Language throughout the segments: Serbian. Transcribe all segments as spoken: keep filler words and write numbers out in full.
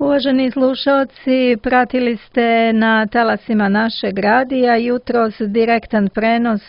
Uvaženi slušalci, pratili ste na talasima našeg radija jutros direktan prenos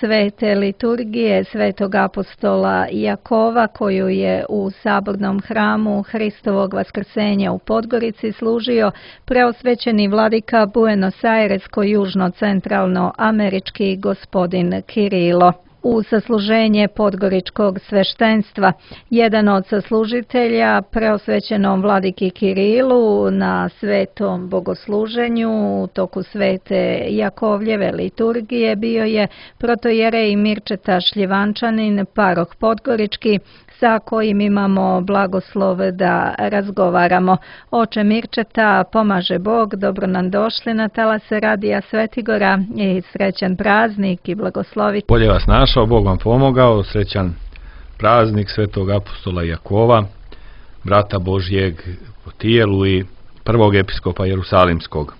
svete liturgije svetog apostola Jakova koju je u sabornom hramu Hristovog vaskrsenja u Podgorici služio preosvećeni vladika Buenos Airesko-južno-centralno američki gospodin Kirilo. U sasluženje podgoričkog sveštenstva. Jedan od saslužitelja preosvećenom vladiki Kirilu na svetom bogosluženju u toku svete Jakovljeve liturgije bio je protojerej Mirčeta Šljivančanin, paroh podgorički, sa kojim imamo blagoslov da razgovaramo. Oče Mirčeta, pomaže Bog, dobro nam došli na talase radija Svetigora i srećan praznik i blagosloviti. Bolje vas našao, Bog vam pomogao, srećan praznik svetog apostola Jakova, brata Božjeg po tijelu i prvog episkopa Jerusalimskog.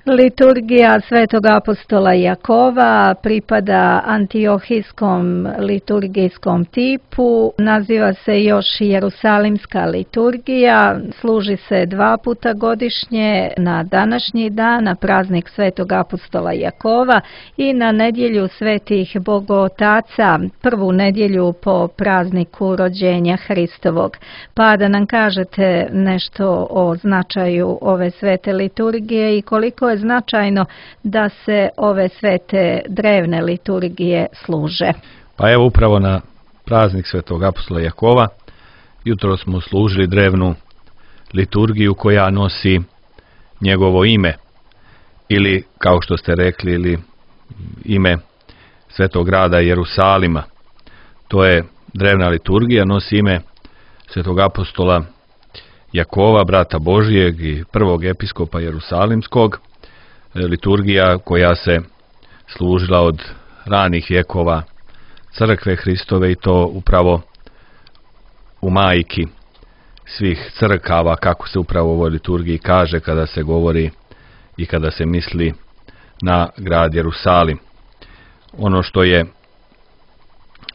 Liturgija svetog apostola Jakova pripada antiohijskom liturgijskom tipu, naziva se još Jerusalimska liturgija, služi se dva puta godišnje na današnji dan, na praznik svetog apostola Jakova i na nedjelju svetih bogotaca, prvu nedjelju po prazniku rođenja Hristovog. Pa da nam kažete nešto o značaju ove svete liturgije i koliko je značajno da se ove svete drevne liturgije služe. Pa evo upravo na praznik svetog apostola Jakova jutro smo služili drevnu liturgiju koja nosi njegovo ime ili kao što ste rekli ili ime svetog grada Jerusalima. To je drevna liturgija, nosi ime svetog apostola Jakova, brata Božjeg i prvog episkopa Jerusalimskog. Liturgija koja se služila od ranih vjekova crkve Hristove i to upravo u majki svih crkava, kako se upravo u ovoj liturgiji kaže kada se govori i kada se misli na grad Jerusalim. Ono što je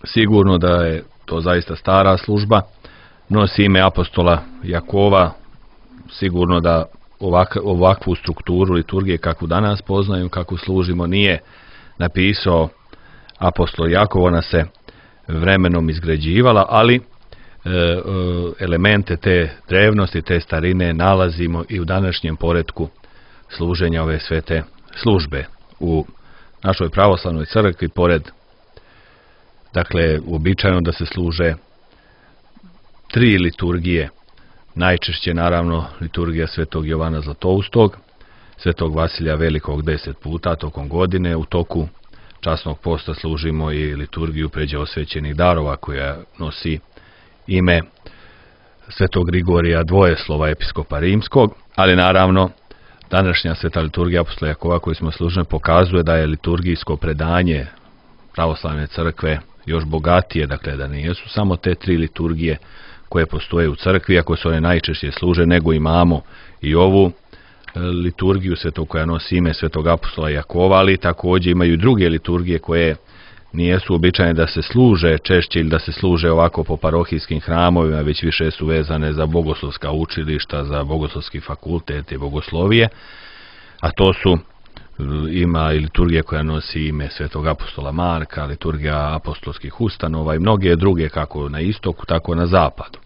sigurno da je to zaista stara služba, nosi ime apostola Jakova, sigurno da Ovak, ovakvu strukturu liturgije kakvu danas poznaju, kakvu služimo, nije napisao apostol Jakov, ona se vremenom izgrađivala, ali e, elemente te drevnosti, te starine nalazimo i u današnjem poretku služenja ove svete službe. U našoj pravoslavnoj crkvi, pored, dakle, uobičajeno da se služe tri liturgije, najčešće naravno liturgija svetog Jovana Zlatoustog, svetog Vasilija Velikog deset puta tokom godine. U toku časnog posta služimo i liturgiju pređe osvećenih darova koja nosi ime svetog Grigorija Dvojeslova, episkopa Rimskog, ali naravno današnja sveta liturgija apostola Jakova koju smo služili pokazuje da je liturgijsko predanje pravoslavne crkve još bogatije, dakle da nisu samo te tri liturgije koje postoje u crkvi, ako se one najčešće služe, nego imamo i ovu liturgiju svetog koja nosi ime svetog apostola Jakova, ali također imaju i druge liturgije koje nijesu običajne da se služe češće ili da se služe ovako po parohijskim hramovima, već više su vezane za bogoslovska učilišta, za bogoslovski fakultet i bogoslovije, a to su ima i liturgija koja nosi ime svetog apostola Marka, liturgija apostolskih ustanova i mnoge druge kako na istoku, tako na zapadu.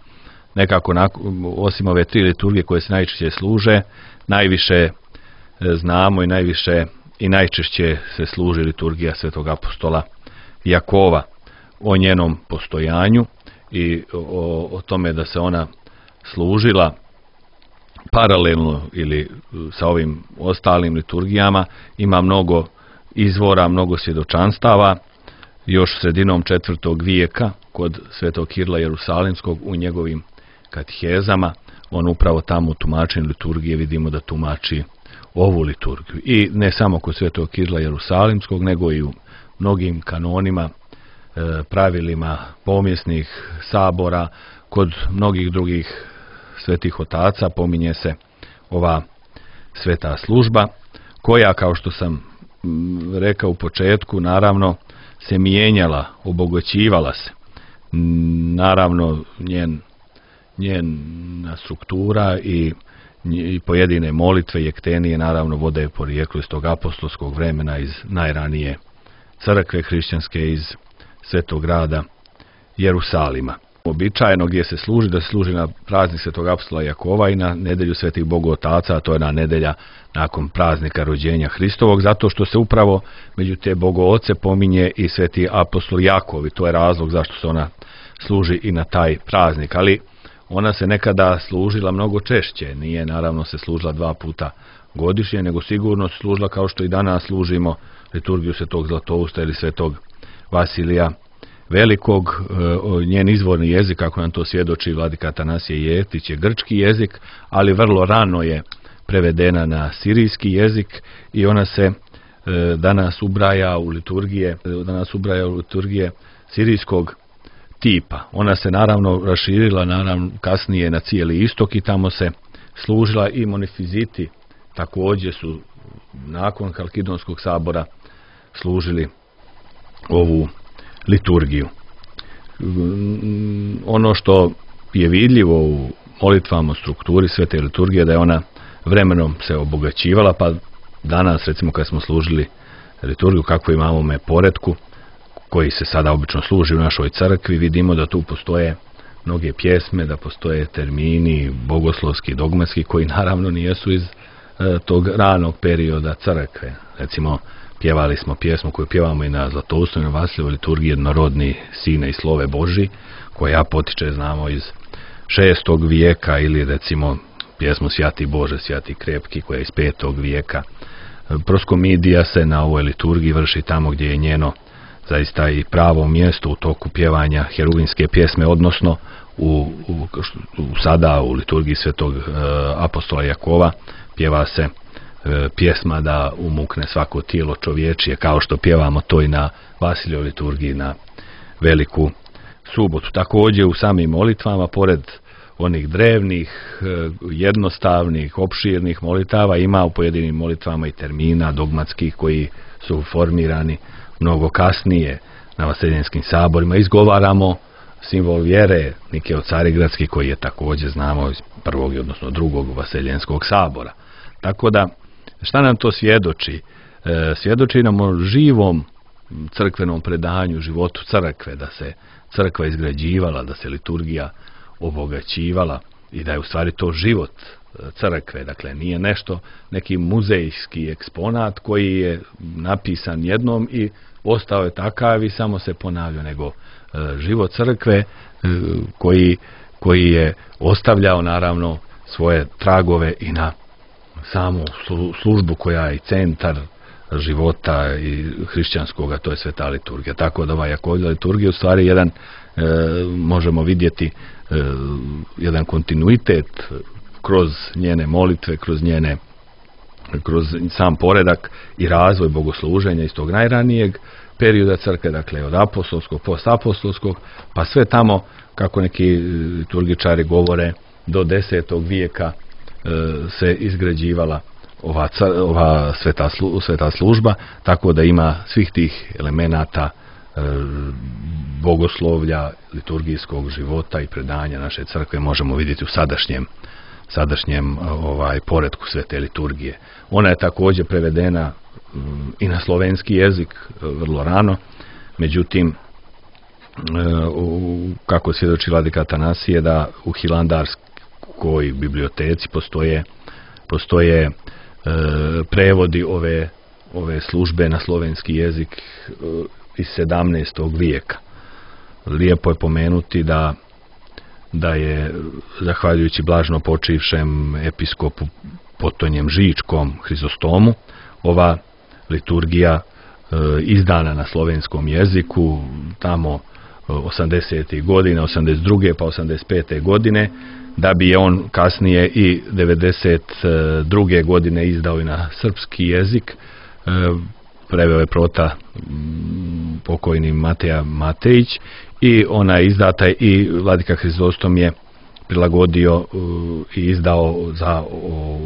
Nekako, osim ove tri liturgije koje se najčešće služe, najviše znamo i najviše i najčešće se služi liturgija svetog apostola Jakova, o njenom postojanju i o, o tome da se ona služila paralelno ili sa ovim ostalim liturgijama. Ima mnogo izvora, mnogo svjedočanstava. Još sredinom četvrtog vijeka kod svetog Kirila Jerusalimskog u njegovim katehezama on upravo tamo u tumačenju liturgije vidimo da tumači ovu liturgiju. I ne samo kod svetog Kirila Jerusalimskog, nego i u mnogim kanonima, pravilima pomjesnih sabora, kod mnogih drugih svetih otaca pominje se ova sveta služba, koja, kao što sam rekao u početku, naravno se mijenjala, obogaćivala se. Naravno, njen, njena struktura i i pojedine molitve i ektenije naravno vode porijeklo iz tog apostolskog vremena, iz najranije crkve hrišćanske, iz Svetog grada Jerusalima. Običajno gdje se služi, da se služi na praznik Svetog apostola Jakova i na nedelju Svetih Bogotaca, a to je na nedelja nakon praznika rođenja Hristovog, zato što se upravo među te bogooce pominje i Sveti apostol Jakov, i to je razlog zašto se ona služi i na taj praznik. Ali ona se nekada služila mnogo češće, nije naravno se služila dva puta godišnje, nego sigurno se služila kao što i danas služimo liturgiju Svetog Zlatousta ili Svetog Vasilija Velikog. Njen izvorni jezik, kako nam to svjedoči vladika Atanasije Jeftić, je grčki jezik, ali vrlo rano je prevedena na sirijski jezik i ona se danas ubraja u liturgije, danas ubraja u liturgije sirijskog tipa. Ona se naravno raširila naravno kasnije na cijeli istok i tamo se služila, i monifiziti također su nakon Halkidonskog sabora služili ovu liturgiju. Ono što je vidljivo u molitvama, strukturi svete liturgije, da je ona vremenom se obogaćivala, pa danas recimo kad smo služili liturgiju kako imamo u poretku koji se sada obično služi u našoj crkvi, vidimo da tu postoje mnoge pjesme, da postoje termini bogoslovski, dogmatski, koji naravno nijesu iz e, tog ranog perioda crkve. Recimo, pjevali smo pjesmu koju pjevamo i na Zlatoustu i na Vasiljevoj liturgiji, Jednorodni Sine i Slove Boži, koja potiče, znamo, iz šestog vijeka, ili recimo pjesmu Sjati Bože, Sjati Krepki, koja je iz petog vijeka. Proskomidija se na ovoj liturgiji vrši tamo gdje je njeno zaista i pravo mjesto u toku pjevanja heruvimske pjesme, odnosno u, u, u sada u liturgiji Svetog e, apostola Jakova pjeva se e, pjesma da umukne svako tijelo čovječije, kao što pjevamo to i na Vasiljevoj liturgiji na Veliku subotu. Također u samim molitvama, pored onih drevnih, jednostavnih, opširnih molitava, ima u pojedinim molitvama i termina dogmatskih koji su formirani mnogo kasnije na vaseljenskim saborima. Izgovaramo simbol vjere Nikeo Carigradski, koji je također, znamo, iz prvog, odnosno drugog vaseljenskog sabora. Tako da, šta nam to svjedoči? E, svjedoči nam o živom crkvenom predanju, životu crkve, da se crkva izgrađivala, da se liturgija obogaćivala i da je u stvari to život crkve. Dakle, nije nešto, neki muzejski eksponat koji je napisan jednom i ostao je takav i samo se ponavlja, nego e, život crkve e, koji, koji je ostavljao naravno svoje tragove i na samu službu koja je centar života i hrišćanskoga, to je sveta liturgija. Tako da ova Jakovlja liturgija u stvari jedan, e, možemo vidjeti e, jedan kontinuitet kroz njene molitve, kroz njene kroz sam poredak i razvoj bogosluženja iz tog najranijeg perioda crkve, dakle od apostolskog, postapostolskog, pa sve tamo, kako neki liturgičari govore, do desetog vijeka e, se izgrađivala ova, ova sveta, slu, sveta služba, tako da ima svih tih elemenata e, bogoslovlja, liturgijskog života i predanja naše crkve možemo vidjeti u sadašnjem sadašnjem ovaj poretku svete liturgije. Ona je također prevedena um, i na slovenski jezik vrlo rano, međutim uh, kako svjedoči vladika Atanasije, da u Hilandarskoj biblioteci postoje postoje uh, prevodi ove ove službe na slovenski jezik uh, iz sedamnaestog vijeka. Lijepo je pomenuti da da je, zahvaljujući blažno počivšem episkopu Potonjem Žičkom Hrizostomu, ova liturgija e, izdana na slovenskom jeziku tamo osamdesetih godina, osamdeset druge pa osamdeset pete godine, da bi je on kasnije i devedeset druge godine izdao i na srpski jezik. E, preveo je prota m, pokojni Mateja Matejić i ona je izdata i vladika Hrizostom je prilagodio uh, i izdao za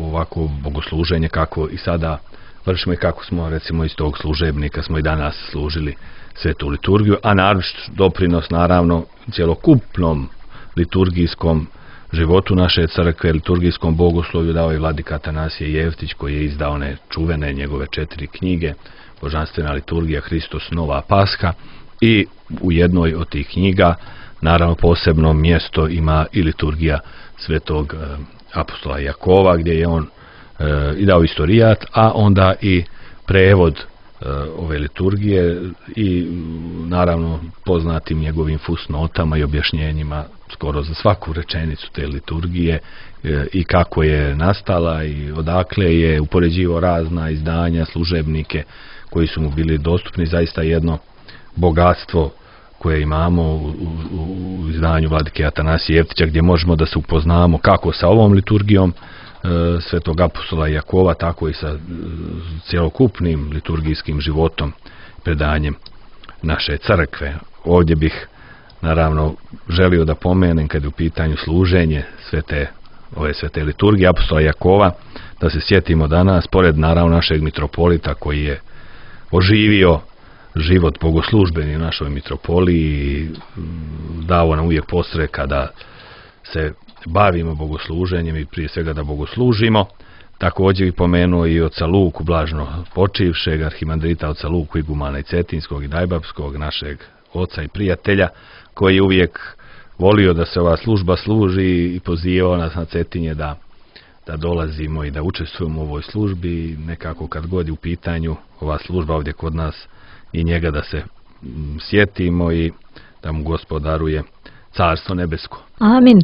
ovako bogosluženje kako i sada vršimo i kako smo recimo iz tog služebnika smo i danas služili svetu liturgiju, a naročit doprinos naravno cjelokupnom liturgijskom životu naše crkve, liturgijskom bogoslovlju dao je vladika Atanasije Jeftić, koji je izdao one čuvene njegove četiri knjige, Božanstvena liturgija, Hristos, Nova Pasha, i u jednoj od tih knjiga naravno posebno mjesto ima i liturgija svetog e, apostola Jakova, gdje je on e, i dao istorijat, a onda i prevod e, ove liturgije i naravno poznatim njegovim fusnotama i objašnjenjima skoro za svaku rečenicu te liturgije e, i kako je nastala i odakle je, upoređivao razna izdanja, služebnike koji su mu bili dostupni. Zaista jedno bogatstvo koje imamo u, u, u izdanju vladike Atanasije Jeftića, gdje možemo da se upoznamo kako sa ovom liturgijom e, svetog apostola Jakova, tako i sa e, cjelokupnim liturgijskim životom, predanjem naše crkve. Ovdje bih naravno želio da pomenem, kad je u pitanju služenje svete, ove svete liturgije apostola Jakova, da se sjetimo danas, pored naravno našeg mitropolita koji je oživio život bogoslužbeni u našoj mitropoliji i dao nam uvijek podstreka da se bavimo bogosluženjem i prije svega da bogoslužimo. Također bih pomenuo i oca Luku, blažno počivšeg arhimandrita oca Luku igumana i Cetinskog i Dajbapskog, našeg oca i prijatelja, koji je uvijek volio da se ova služba služi i pozivao nas na Cetinje da da dolazimo i da učestvujemo u ovoj službi. Nekako kad god je u pitanju ova služba ovdje kod nas, i njega da se m, sjetimo i da mu Gospod daruje carstvo nebesko. Amin.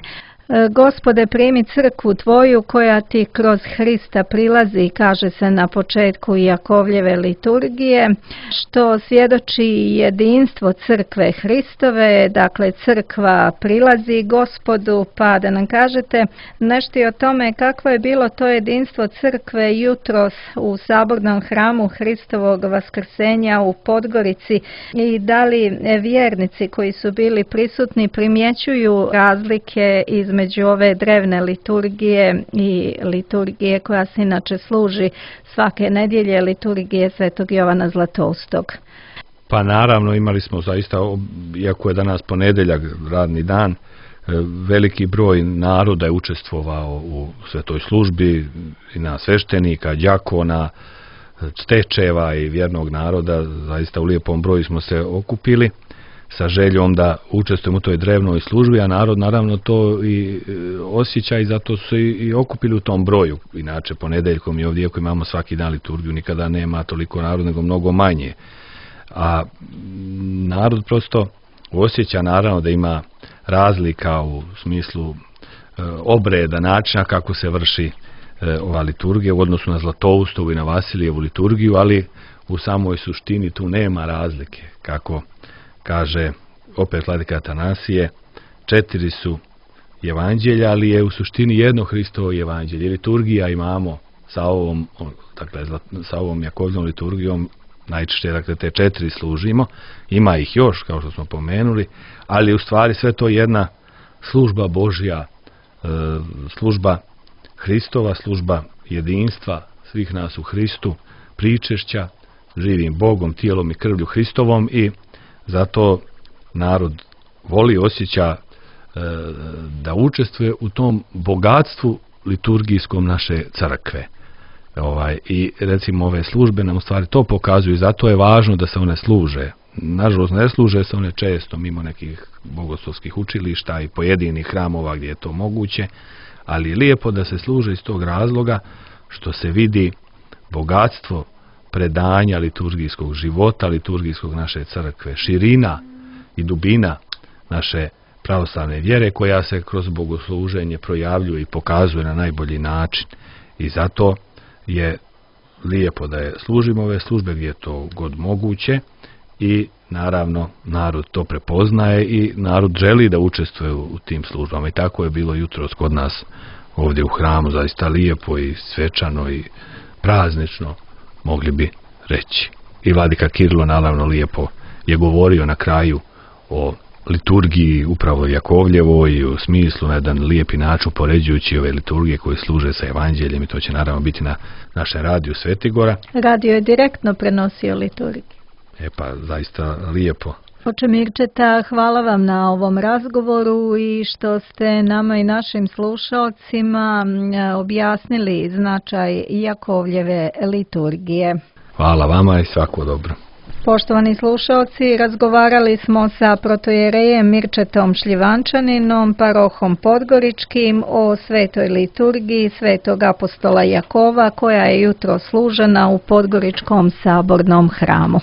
Gospode, primi crkvu Tvoju koja Ti kroz Hrista prilazi, kaže se na početku Jakovljeve liturgije, što svjedoči jedinstvo crkve Hristove. Dakle, crkva prilazi Gospodu, pa da nam kažete nešto o tome kakvo je bilo to jedinstvo crkve jutros u sabornom hramu Hristovog vaskrsenja u Podgorici, i da li vjernici koji su bili prisutni primjećuju razlike između među ove drevne liturgije i liturgije koja se inače služi svake nedjelje, liturgije svetog Jovana Zlatoustog. Pa naravno, imali smo zaista, iako je danas ponedjeljak, radni dan, veliki broj naroda je učestvovao u svetoj službi, i na sveštenika, đakona, stečeva i vjernog naroda. Zaista u lijepom broju smo se okupili sa željom da učestvujemo u toj drevnoj službi, a narod naravno to i osjeća i zato su i, i okupili u tom broju. Inače, ponedeljkom i ovdje, ako imamo svaki dan liturgiju, nikada nema toliko naroda, nego mnogo manje. A narod prosto osjeća naravno da ima razlika u smislu e, obreda, načina kako se vrši e, ova liturgija u odnosu na Zlatoustovu i na Vasilijevu liturgiju, ali u samoj suštini tu nema razlike. Kako kaže opet vladika Atanasije, četiri su evanđelja, ali je u suštini jedno Hristovo evanđelje. Liturgija imamo sa ovom, dakle, sa ovom Jakovljevom liturgijom, najčešće dakle te četiri služimo, ima ih još kao što smo pomenuli, ali u stvari sve to jedna služba Božja, e, služba Hristova, služba jedinstva svih nas u Hristu, pričešća živim Bogom, tijelom i krvlju Hristovom, i zato narod voli, osjeća e, da učestvuje u tom bogatstvu liturgijskom naše crkve. Ovaj, i recimo ove službe nam u stvari to pokazuju, zato je važno da se one služe. Nažalost, ne služe se one često mimo nekih bogoslovskih učilišta i pojedinih hramova gdje je to moguće, ali je lijepo da se služe iz tog razloga što se vidi bogatstvo predanja liturgijskog života, liturgijskog naše crkve, širina i dubina naše pravoslavne vjere, koja se kroz bogosluženje projavljuje i pokazuje na najbolji način. I zato je lijepo da je služimo ove službe gdje je to god moguće, i naravno narod to prepoznaje i narod želi da učestvuje u tim službama, i tako je bilo jutros kod nas ovdje u hramu, zaista lijepo i svečano i praznično, mogli bi reći. I vladika Kirilo naravno lijepo je govorio na kraju o liturgiji upravo Jakovljevoj i u smislu na jedan lijepi način poređujući ove liturgije koje služe sa evanđeljem, i to će naravno biti na našem radiju Svetigora. Radio je direktno prenosio liturgiju. E pa zaista lijepo Oče Mirčeta, hvala vam na ovom razgovoru i što ste nama i našim slušalcima objasnili značaj Jakovljeve liturgije. Hvala vama i svako dobro. Poštovani slušalci, razgovarali smo sa protojerejem Mirčetom Šljivančaninom, parohom Podgoričkim, o svetoj liturgiji svetog apostola Jakova koja je jutro služena u Podgoričkom sabornom hramu.